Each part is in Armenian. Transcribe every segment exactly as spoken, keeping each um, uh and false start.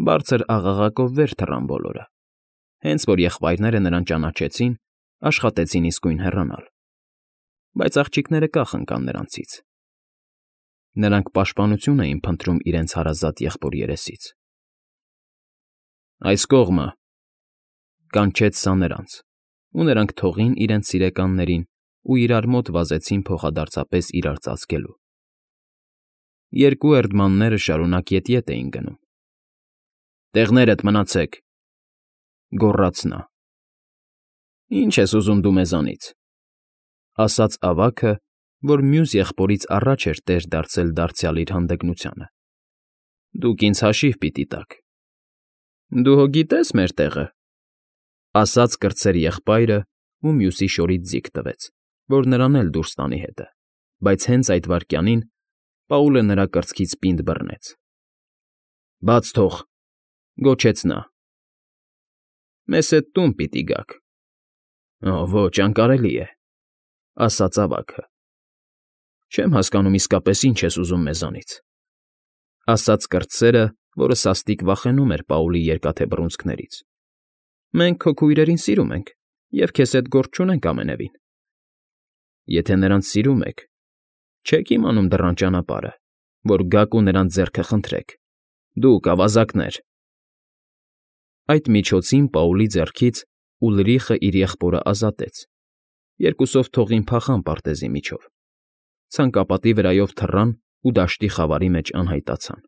Բարձր աղաղակով վեր թռան բոլորը, հենց որ եղբայրները նրան ճանաչեցին, աշխատեցին իսկույն հեռանալ, բայց աղջիկները կախ ընկան նրանցից. նրանք պաշտպանություն էին փնտրում իրենց հարազատ եղբոր երեսից։ «Այս կողմը», կանչեց սա նրանց, ու նրանք թողին իրենց սիրեկաններին ու իրար մոտ վազեցին փոխադարձապես իրար ծածկելու։ Երկու էրդմանները շարունակ ետ֊ետ էին գնում։ «Տեղներդ մնացեք», գոռաց նա։ «Ի՞նչ ես ուզում դու մեզանից», ասաց ավագը, որ մյուս եղբորից առաջ էր տեր դարձել դարձյալ իր հանդգնությանը։ «Դուք ինձ հաշիվ պիտի տաք»։ «Դու հո գիտես մեր տեղը», ասաց կրտսեր եղբայրը ու մյուսի շորից ձիգ տվեց, որ նրան էլ դուրս տանի հետը, բայց հենց այդ վայրկյանին Պաուլը նրա կրծքից պինդ բռնեց։ «Բաց թող», գոչեց նա։ «Մեզ հետ տուն պիտի գաք»։ «Օ, ոչ, անկարելի է», ասաց ավագը։ «Չեմ հասկանում իսկապես ինչ ես ուզում մեզանից», ասաց կրտսերը, որը սաստիկ վախենում էր Պաուլի երկաթե բռունցքներից։ «Մենք քո քույրերին սիրում ենք և քեզ հետ գործ չունենք ամենևին»։ «Եթե նրանց սիրում եք, չեք իմանում դռան ճանապարհը, որ գաք ու նրանց ձեռքը խնդրեք, դուք, ավազակներ»։ Այդ միջոցին Պաուլի ձեռքից Ուլրիխը իր եղբորը ազատեց, երկուսով թողին փախան պարտեզի միջով, ցանկապատի վրայով թռան ու դաշտի խավարի մեջ անհայտացան։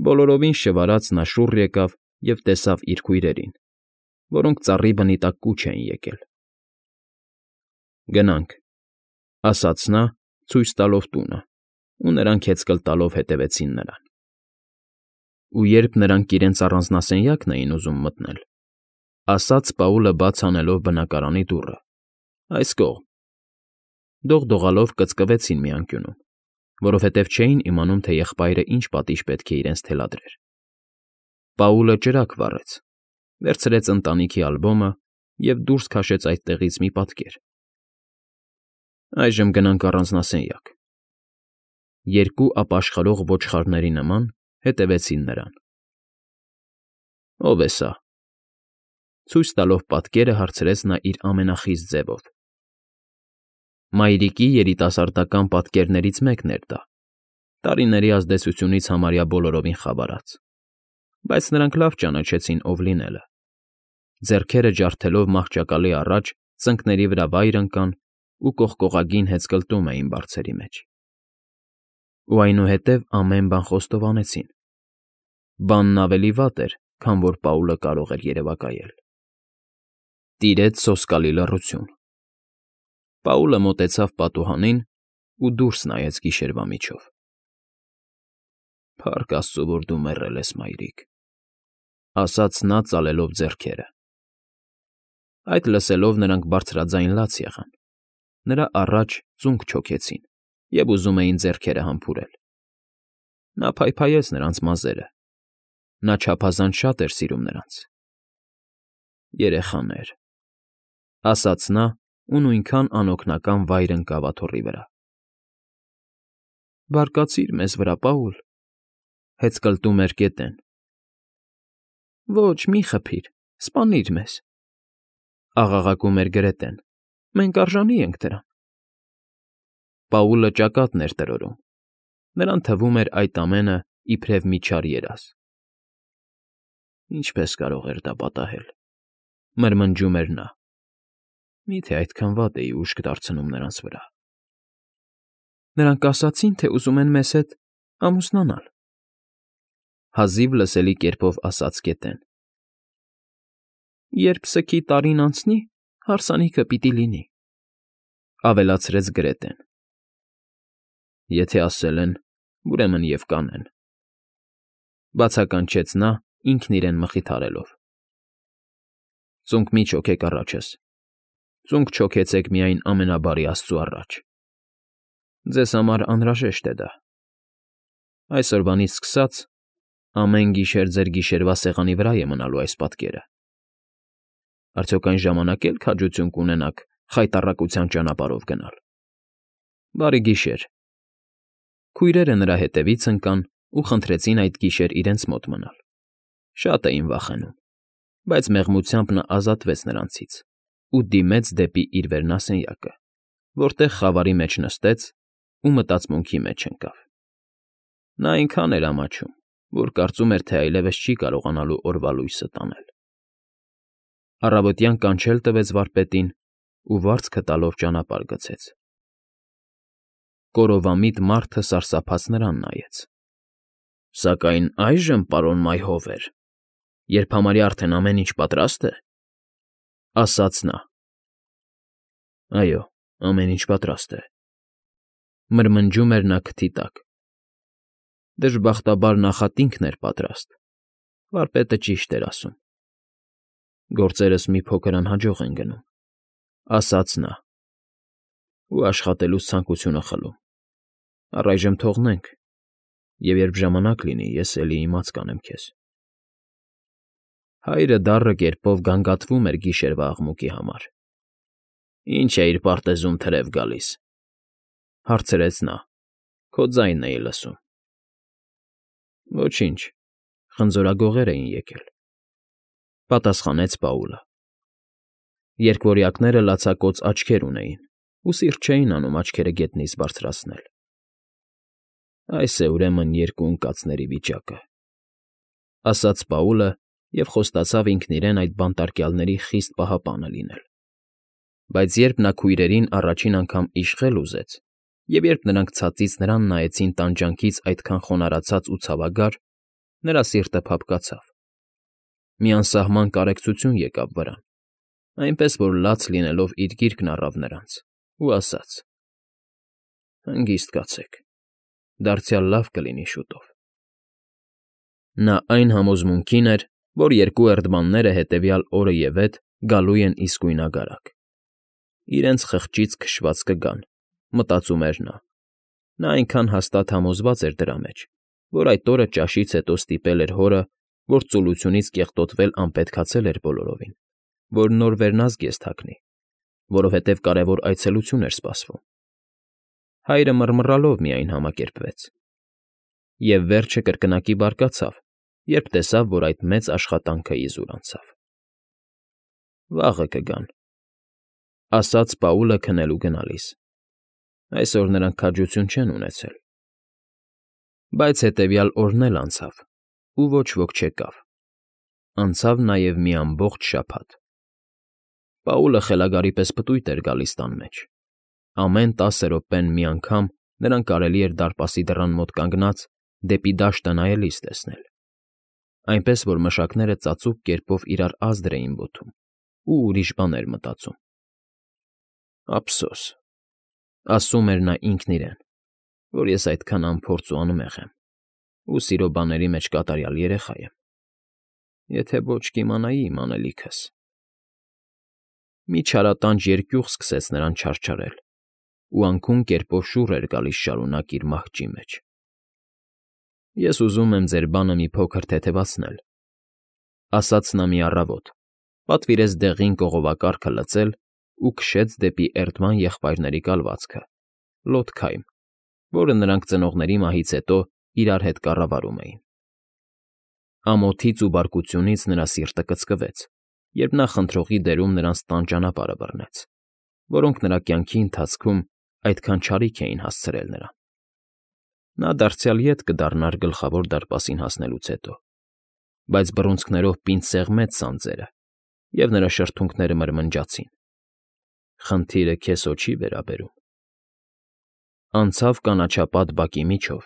Բոլորովին շվարած նա շուռ եկավ և տեսավ իր քույրերին, որոնք ծառի բնի տակ կուչ էին եկել։ «Գնանք», ասաց նա, ցույց տալով տունը, ու նրանք հեծկլ տալով հետևեցին նրան։ Ու երբ նրանք իրենց առանձնասենյակն էին ուզում մտնել, ասաց Պաուլը բաց անելով բնակարանի դուռը. «Այս կողմ»։ Դողդողալով կծկվեցին մի անկյունում, որովհետև չէին իմանում, թե եղբայրը ինչ պատիժ պետք է իրենց թելադրեր։ Պաուլը ճրագ վառեց, վերցրեց ընտանիքի ալբոմը և դուրս քաշեց այդտեղից մի պատկեր։ «Այժմ գնանք առանձնասենյակ»։ Երկու ապաշխարող ոչխարների նման հետևեցին նրան։ «Ո՞վ է սա»։ Ցույց տալով պատկերը հարցրեց նա իր ամենախիստ ձևով։ Մայրիկի երիտասարդական պատկերներից մեկն էր դա, տարիների ազդեցությունից համարյա բոլորովին խավարած, բայց նրանք լավ ճանաչեցին ով լինելը։ Ձեռքերը ջարդելով մահճակալի առաջ ծնկների վրա վայր ընկան ու կողկողագին հեծկլտում էին բարձերի մեջ։ Ու այնուհետև ամեն բան խոստովանեցին։ Բանն ավելի վատ էր, քան որ Պաուլը կարող էր երևակայել։ Տիրեց սոսկալի լռություն։ Պաուլը մոտեցավ պատուհանին ու դուրս նայեց գիշերվա միջով։ «Փառք աստծո, որ դու մեռել ես, մայրիկ», ասաց նա ծալելով ձեռքերը։ Այդ լսելով նրանք բարձրաձայն լաց եղան, նրա առաջ ծունկ չոքեցին և ուզում էին ձեռքերը համբուրել։ Նա փայփայեց նրանց մազերը, նա չափազանց շատ էր սիրում նրանց։ «Երեխաներ», ասաց նա ու նույնքան անօգնական վայր ընկավ աթոռի վրա։ «Բարկացիր մեզ վրա, Պաուլ», հեծկլտում էր գետեն։ «Ոչ, մի խփիր, սպանիր մեզ», աղաղակում էր Գրետեն։ «Մենք արժանի ենք դրան»։ Պաուլը ճակատն էր տրորում, նրան թվում էր այդ ամենը իբրև մի չար երազ։ «Ինչպե՞ս կարող էր դա պատահել», մրմնջում էր նա։ «Մի՞թե այդքան վատ էի ուշք դարձնում նրանց վրա»։ «Նրանք ասացին, թե ուզում են մեզ հետ ամուսնանալ», հազիվ լսելի կերպով ասաց գետեն։ «Երբ սքի տարին անցնի, հարսանիքը պիտի լինի», ավելացրեց Գրետեն։ «Եթե ասել են, ուրեմն և կանեն», բացականչեց նա, ինքն իրեն մխիթարելով։ «Ծունկ մի չոքեք առաջս, ծունկ չոքեցեք միայն ամենաբարի Աստծու առաջ։ Ձեզ համար անհրաժեշտ է դա։ Այսօրվանից սկսած ամեն գիշեր ձեր գիշերվա սեղանի վրա է մնալու այս պատկերը։ Արդյոք այն ժամանակ էլ քաջություն կունենաք խայտառակության ճանապարհով գնալ։ Բարի գիշեր»։ Քույրերը նրա հետևից ընկան ու խնդրեցին այդ գիշեր իրենց մոտ մնալ. շատ էին վախենում, բայց մեղմությամբ նա ազատվեց նրանցից ու դիմեց դեպի իր վերնասենյակը, որտեղ խավարի մեջ նստեց ու մտածմունքի մեջ ընկավ. նա այնքան էր ամաչում, որ կարծում էր, թե այլևս չի կարողանալու օրվա լույսը տանել. Առավոտյան կանչել տվեց վարպետին ու վարձքը տալով ճանապարհ գցեց. կորովամիտ մարդը սարսափած նրան նայեց. Սակայն այժմ, պարոն Մայհովեր, երբ համարյա արդեն ամեն ինչ պատրաստ է, ասաց նա. այո, ամեն ինչ պատրաստ է, մրմնջում էր նա քթի տակ. դժբախտաբար նախատինքն էր պատրաստ, վարպետը ճիշտ էր ասում. գործերս մի փոքր անհաջող են գնում, ասաց նա, ու աշխատելուց ցանկությունը խլում, առայժմ թողնենք, և երբ ժամանակ լինի, ես էլի իմաց կանեմ քեզ… Հայրը դառը կերպով գանգատվում էր գիշերվա աղմուկի համար։ Ինչ էիր պարտեզում թրև գալիս, հարցրեց նա, քո ձայնն էի լսում։ Ոչինչ, խնձորագողեր էին եկել, պատասխանեց Պաուլը։ Երկվորյակները լացակոծ աչքեր ունեին ու սիրտ չէին անում աչքերը գետնից բարձրացնել։ Այս է, ուրեմն, երկու ընկածների վիճակը, ասաց Պաուլը և խոստացավ ինքն իրեն այդ բանտարկյալների խիստ պահապանը լինել։ Բայց երբ նա քույրերին առաջին անգամ իշխել ուզեց, և երբ նրանք ցածից նրան նայեցին տանջանքից այդքան խոնարհացած ու ցավագար, նրա սիրտը փափկացավ։ Մի անսահման կարեկցություն եկավ վրան, այնպես որ լաց լինելով իր գիրկն առավ նրանց ու ասաց. «Հանգիստ կացեք, դարձյալ լավ կլինի շուտով»։ Նա այն համոզմունքին էր, որ երկու էրդմանները հետևյալ օրը ևեթ գալու են իսկույնագարակ։ Իրենց խղճից քշված կգան, մտածում էր նա։ Նա այնքան հաստատ համոզված էր դրա մեջ, որ այդ օրը ճաշից հետո ստիպել էր հորը, որ ծուլությունից կեղտոտվել անպետքացել էր բոլորովին, որ նոր վերնազգ ես թաքնի, որովհետև կարևոր այցելություն էր սպասվում։ Հայրը մռմռալով միայն համակերպվեց։ Եվ վերջը կրկնակի բարկացավ, երբ տեսավ, որ այդ մեծ աշխատանքը իզուր անցավ։ Վաղը կգան, ասաց Պաուլը քնելու գնալիս։ Այսօր նրանք քաջություն չեն ունեցել։ Բայց հետևյալ օրն էլ անցավ, ու ոչ ոք չեկավ։ Անցավ նաև մի ամբողջ շաբաթ։ Պաուլը խելագարի պես պտույտ էր գալիս տան մեջ։ Ամեն տասը րոպեն մի անգամ նրան կարելի էր դարպասի դռան մոտ կանգնած դեպի դաշտը նայելիս տեսնել, այնպես որ մշակները ծածուկ կերպով իրար ազդր էին ոտում ու ուրիշ բաներ մտածում։ Ափսոս, ասում էր նա ինքն իրեն, որ ես այդքան անփորձ ու անմեղ եմ, ու սիրո բաների մեջ կատարյալ երեխա եմ, եթե ոչ կիմանայի իմ անելիքս… Մի չարատանջ երկյուղ սկսեց նրան չարչարել, ու անքուն կերպով շուռ էր գալիս շարունակ իր մահճի մեջ։ Ես ուզում եմ ձեր բանը մի փոքր թեթևացնել, ասաց նա մի առավոտ, պատվիրեց դեղին կողովակարգը լցել ու քշեց դեպի էրդման եղբայրների կալվածքը՝ Լոդքայմ, որը նրանք ծնողների մահից հետո իրար հետ կառավարում էին։ Ամոթից ու բարկությունից նրա սիրտը կծկվեց, երբ նա խնդրողի դերում նրանց տան ճանապարհը բռնեց, որոնք նրա կյանքի ընթացքում այդքան չարիք էին հասցրել նրան։ Նա դարձյալ ետ կդառնար Գլխավոր դարպասին հասնելուց հետո, բայց բռունցքներով պինդ սեղմեց սանձերը, և նրա շրթունքները մրմնջացին. «Խնդիրը քեզ հո չի վերաբերում»։ Անցավ կանաչապատ բակի միջով,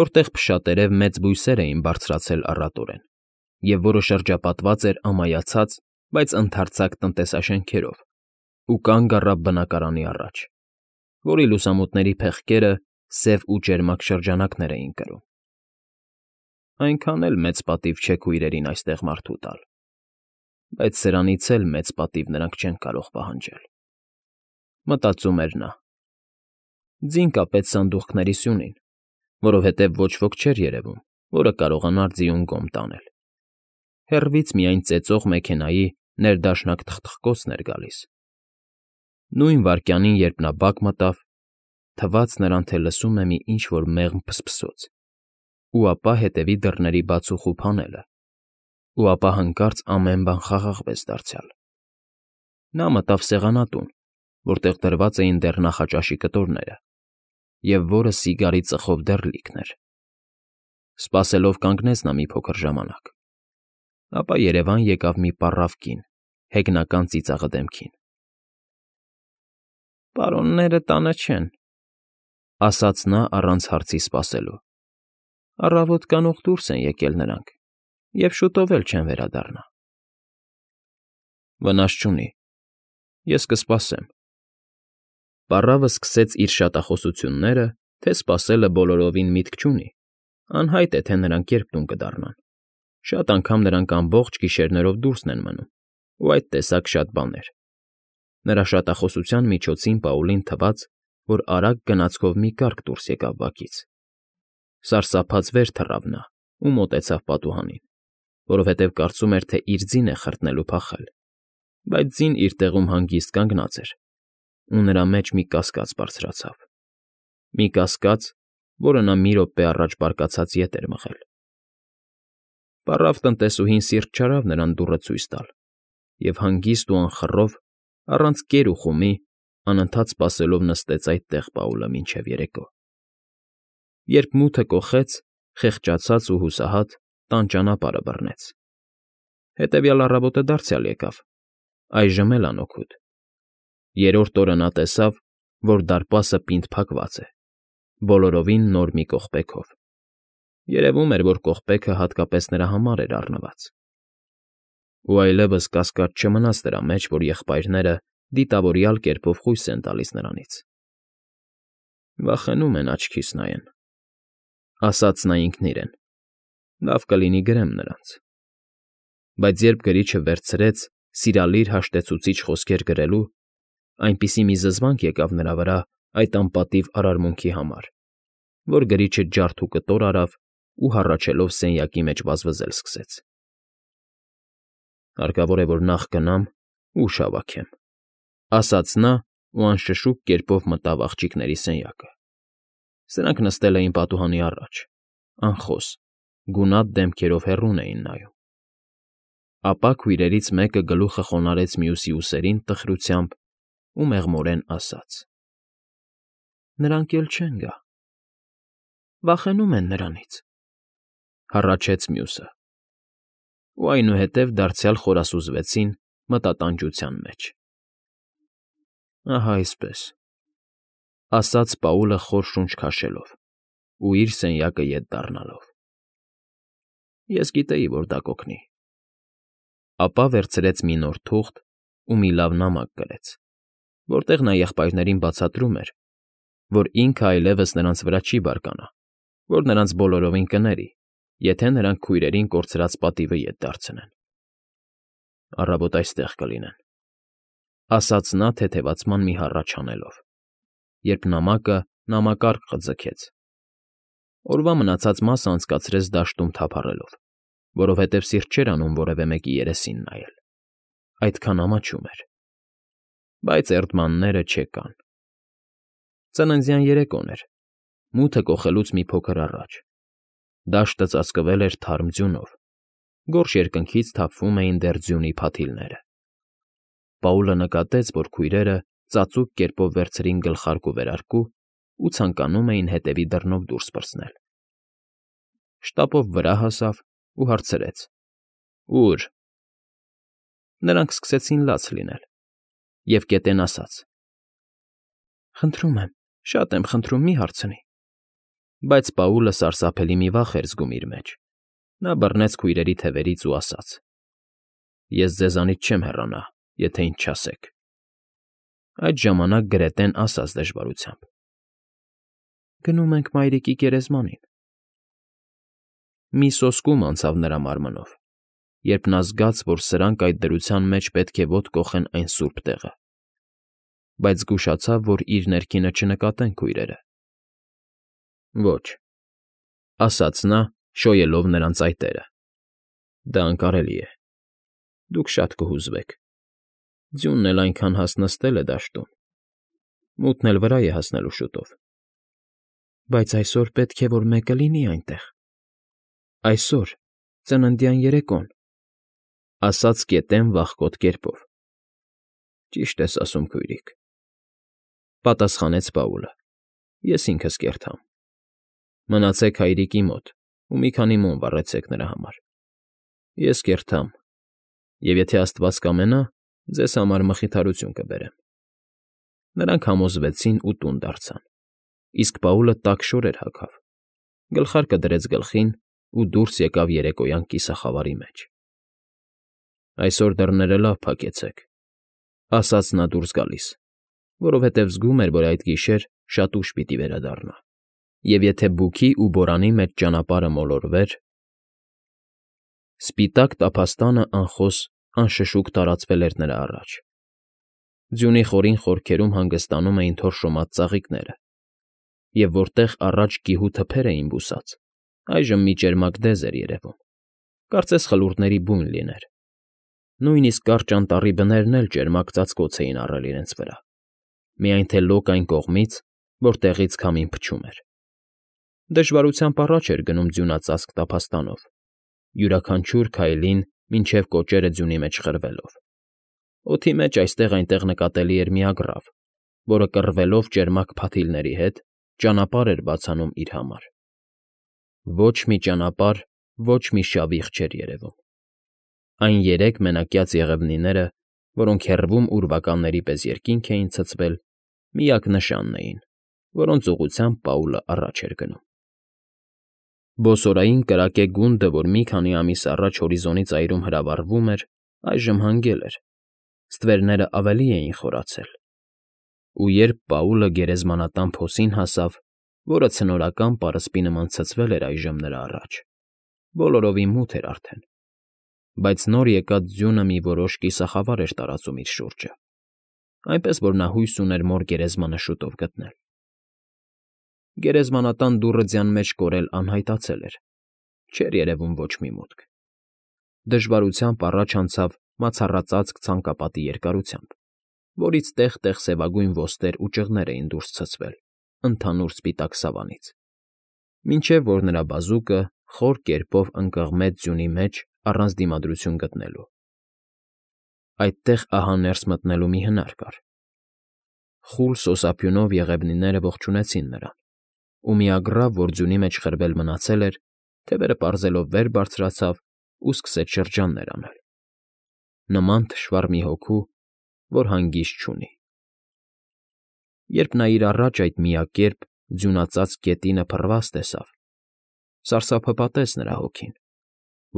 որտեղ փշատերև մեծ բույսեր էին բարձրացել առատորեն, և որը շրջապատված էր ամայացած, բայց ընդարձակ տնտեսաշենքերով, ու կանգ առավ բնակարանի առաջ, որի լուսամուտների փեղկերը սև ու ճերմակ շրջանակներ էին կրում։ Այնքան էլ մեծ պատիվ չէ քույրերին այստեղ մարդու տալ, բայց սրանից էլ մեծ պատիվ նրանք չեն կարող պահանջել, մտածում էր նա։ Ձին կապեց սանդուղքների սյունին, որովհետև ոչ ոք չէր երևում, որը կարողանար ձիուն գոմ տանել։ Հեռվից միայն ծեծող մեքենայի ներդաշնակ թխթխկոցն էր գալիս։ Նույն վայրկյանին, երբ նա բակ մտավ, թվաց նրան, թե լսում է մի ինչ֊որ մեղմ փսփսոց, ու ապա հետևի դռների բաց ու խուփ անելը, ու ապա հանկարծ ամեն բան խաղաղվեց դարձյալ։ Նա մտավ սեղանատուն, որտեղ դրված էին դեռ նախաճաշի կտորները, և որը սիգարի ծխով դեռ լիքն էր։ Սպասելով կանգնեց նա մի փոքր ժամանակ, ապա երևան եկավ մի պառավ կին, հեգնական ծիծաղը դեմքին։ ֊ Պարոնները տանը չեն, ֊ ասաց նա առանց հարցի սպասելու։ ֊ Առավոտ կանուխ դուրս են եկել նրանք և շուտով էլ չեն վերադառնա։ ֊ Վնաս չունի, ես կսպասեմ։ Պառավը սկսեց իր շատախոսությունները, թե սպասելը բոլորովին միտք չունի, անհայտ է, թե նրանք երբ տուն կդառնան, շատ անգամ նրանք ամբողջ գիշերներով դուրսն են մնում, ու այդ տեսակ շատ բաներ։ Նրա շատախոսության միջոցին Պաուլին թվաց, որ արագ գնացքով մի կառք դուրս եկավ բակից։ Սարսափած վեր թռավ նա ու մոտեցավ պատուհանին, որովհետև կարծում էր, թե իր ձին է խրտնելու փախել, բայց ձին իր տեղում հանգիստ կանգնած էր, ու նրա մեջ մի կասկած բարձրացավ, մի կասկած, որը նա մի րոպե առաջ բարկացած ետ էր մղել։ Պառավ տնտեսուհին սիրտ չարավ նրան դուռը ցույց տալ և հանգիստ ու անխռով, առանց կեր ու խումի, անընդհատ սպասելով նստեց այդտեղ Պաուլը մինչև երեկո։ Երբ մութը կոխեց, խեղճացած ու հուսահատ, տան ճանապարհը բռնեց։ Հետևյալ առավոտը դարձյալ եկավ, այժմ էլ անօգուտ։ Երրորդ օրը նա տեսավ, որ դարպասը պինդ փակված է, բոլորովին նոր մի կողպեքով։ Երևում էր, որ կողպեքը հատկապես նրա համար էր առնված։ Ու այլևս կասկած չմնաց նրա մեջ, որ եղբայրները դիտավորյալ կերպով խույս են տալիս նրանից։ «Վախենում են աչքիս նայեն», ֊ ասաց նա ինքն իրեն, ֊ լավ կլինի գրեմ նրանց։ Բայց երբ գրիչը վերցրեց սիրալիր հաշտեցուցիչ խոսքեր գրելու, այնպիսի մի զզվանք եկավ նրա վրա այդ անպատիվ արարմունքի համար, որ գրիչը ջարդ ու կտոր արավ ու հառաչելով սենյակի մեջ վազվզել սկսեց։ «Հարկավոր է, որ նախ գնամ ու ուժ հավաքեմ», ֊ ասաց նա ու անշշուկ կերպով մտավ աղջիկների սենյակը։ Սրանք նստել էին պատուհանի առաջ, անխոս, գունատ դեմքերով հեռուն էին նայում։ Ապա քույրերից մեկը գլուխը խոնարհեց մյուսի ուսերին տխրությամբ ու մեղմորեն ասաց. ֊ Նրանք էլ չեն գա։ ֊ Վախենում են նրանից, ֊ հառաչեց մյուսը։ Ու այնուհետև դարձյալ խորասուզվեցին մտատանջության մեջ։ ֊ Ահա այսպես, ֊ ասաց Պաուլը խոր շունչ քաշելով ու իր սենյակը ետ դառնալով։ ֊ Ես գիտեի, որ դա կօգնի։ Ապա վերցրեց մի նոր թուղթ ու մի լավ նամակ գրեց, որտեղ նա եղբայրներին բացատրում էր, որ ինքը այլևս նրանց վրա չի բարկանա, որ նրանց բոլորովին կների, եթե նրանք քույրերին կորցրած պատիվը ետ դարձնեն։ «Առավոտ այստեղ կլինեն», ֊ ասաց նա թեթևացման մի հառաչ անելով, երբ նամակը նամակարգ ձգեց։ Օրվա մնացած մասը անցկացրեց դաշտում թափառելով, որովհետև սիրտ չէր անում որևէ մեկի երեսին նայել, այդքան ամաչում էր։ Բայց էրդմանները չեկան։ Ծննդյան երեկոն էր, մութը կոխելուց մի փոքր առաջ։ Դաշտը ծածկվել էր թարմ ձյունով, գորշ երկնքից թափվում էին դեռ ձյունի փաթիլները։ Պաուլը նկատեց, որ քույրերը ծածուկ կերպով վերցրին գլխարկ ու վերարկու ու ցանկանում էին հետևի դռնով դուրս պրծնել։ Շտապով վրա հասավ ու հարցրեց. «Ո՞ւր»։ Նրանք սկսեցին լաց լինել, և կետեն ասաց. «Խնդրում եմ, շատ եմ խնդրում, մի հարցնի»։ Բայց Պաուլը սարսափելի մի վախ էր զգում իր մեջ։ Նա բռնեց քույրերի թևերից ու ասաց. «Ես ձեզանից չեմ հեռանա, եթե ինձ չասեք»։ Այդ ժամանակ Գրետեն ասաց դժվարությամբ. «Գնում ենք մայրիկի գերեզմանին»։ Մի սոսկում անցավ նրա մարմնով, երբ նա զգաց, որ սրանք այդ դրության մեջ պետք է ոտք կոխեն այն սուրբ տեղը, բայց զգուշացավ, որ իր ներքինը չնկատեն քույրերը։ «Ոչ», ֊ ասաց նա, շոյելով նրանց այտերը, ֊ դա անկարելի է։ Դուք շատ կհուզվեք։ Ձյունն էլ այնքան հաստ նստել է դաշտում, մութն էլ վրա է հասնելու շուտով։ Բայց այսօր պետք է որ մեկը լինի այնտեղ։ Այսօր, ծննդյան երեկոն,֊ ասաց կետեն վախկոտ կերպով։ ֊ Ճիշտ ես ասում, քույրիկ,֊ պատասխանեց Պաուլը։֊ Ես ինքս կերտամ։ Մնացեք հայրիկի մոտ ու մի քանի մոմ վառեցեք նրա համար։ Ես կերտամ, և եթե աստված կամենա, ձեզ համար մխիթարություն կբերեմ։ Նրանք համոզվեցին ու տուն դարձան, իսկ Պաուլը տաք շորեր հագավ, գլխարկը դրեց գլխին ու դուրս եկավ երեկոյան կիսախավարի մեջ։ ֊ Այսօր դռները լավ փակեցեք,֊ ասաց նա դուրս գալիս, որովհետև զգում էր, որ այդ գիշեր շատ ուշ պիտի վերադառնա, և եթե բուքի ու բորանի մեջ ճանապարհը մոլորվեր… Սպիտակ տափաստանը անխոս, անշշուկ տարածվել էր նրա առաջ։ Ձյունի խորին խորքերում հանգստանում էին թորշոմած ծաղիկները, և որտեղ առաջ գիհու թփեր էին բուսած, այժմ մի ճերմակ դեզ էր երևում, կարծես խլուրդների բույն լիներ. նույնիսկ կարճ անտառի բներն էլ ճերմակ ծածկոց էին առել իրենց վրա, միայն թե լոկ այն կողմից, որտեղից քամին փչում էր։ Դժվարությամբ առաջ էր գնում ձյունածածկ տափաստանով, յուրաքանչյուր քայլին մինչև կոճերը ձյունի մեջ խրվելով։ Օդի մեջ այստեղ֊այնտեղ նկատելի էր մի ագռավ, որը կռվելով ճերմակ փաթիլների հետ ճանապարհ էր բացանում իր համար։ Ոչ մի ճանապարհ, ոչ մի շավիղ չէր երևում։ Այն երեք մենակյաց եղևնիները, որոնք հեռվում ուրվականների պես երկինք էին ցցվել, միակ նշանն էին, որոնց ուղղությամբ Պաուլը առաջ էր գնում։ Բոսորային կրակե գունդը, որ մի քանի ամիս առաջ հորիզոնի ծայրում հրավառվում էր, այժմ հանգել էր, ստվերները ավելի էին խորացել, ու երբ Պաուլը գերեզմանատան փոսին հասավ, որը ցնորական պարսպի նման ցցվել էր այժմ նրա առաջ, բոլորովին մութ էր արդեն, բայց նոր եկած ձյունը մի որոշ կիսախավար էր տարածում իր շուրջը, այնպես որ նա հույս ուներ մոր գերեզմանը շուտով գտնել։ Գերեզմանատան դուռը ձյան մեջ կորել անհայտացել էր, չէր երևում ոչ մի մուտք։ Դժվարությամբ առաջ անցավ մացառածածկ ցանկապատի երկարությամբ, որից տեղ֊տեղ սևագույն ոստեր ու ճղներ էին դուրս ցցվել ընդհանուր սպիտակ սավանից, մինչև որ նրա բազուկը խոր կերպով ընկղմեց ձյունի մեջ առանց դիմադրություն գտնելու։ Այդտեղ ահա ներս մտնելու մի հնար կար։ Խուլ սոսափյունով եղևնիները ողջունեցին նրան, ու մի ագռավ, որ ձյունի մեջ խրվել մնացել էր, թևերը պարզելով վեր բարձրացավ ու սկսեց շրջաններ անել, նման թշվառ մի հոգու, որ հանգիստ չունի։ Երբ նա իր առաջ այդ միակերպ ձյունածածկ գետինը փռված տեսավ, սարսափը պատեց նրա հոգին,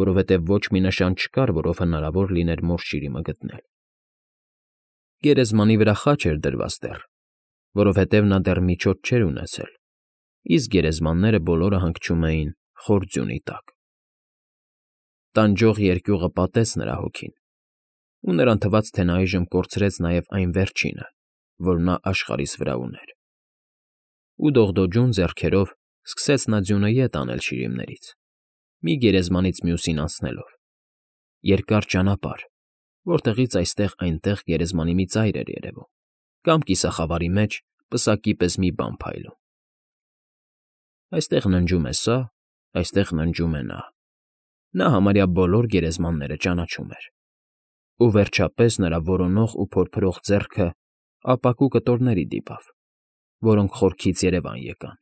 որովհետև ոչ մի նշան չկար, որով հնարավոր լիներ մոր շիրիմը գտնել։ Գերեզմանի վրա խաչ էր դրված դեռ, որովհետև նա դեռ միջոց չէր ունեցել, իսկ գերեզմանները բոլորը հանգչում էին խոր ձյունի տակ։ Տանջող երկյուղը պատեց նրա հոգին, ու նրան թվաց, թե նա այժմ կորցրեց նաև այն վերջինը, որ նա աշխարհիս վրա ուներ։ Ու դողդոջուն ձեռքերով սկսեց նա ձյունը ետ անել շիրիմներից, մի գերեզմանից մյուսին անցնելով, երկար ճանապարհ, որտեղից այստեղ֊այնտեղ գերեզմանի մի ծայր էր երևում, կամ կիսախավարի մեջ պսակի պես մի բան փայլում։ Այստեղ ննջում է սա, այստեղ ննջում է նա։ Նա համարյա բոլոր գերեզմանները ճանաչում էր։ Ու վերջապես նրա որոնող ու փորփրող ձեռքը ապակու կտորների դիպավ, որոնք խորքից երևան եկան։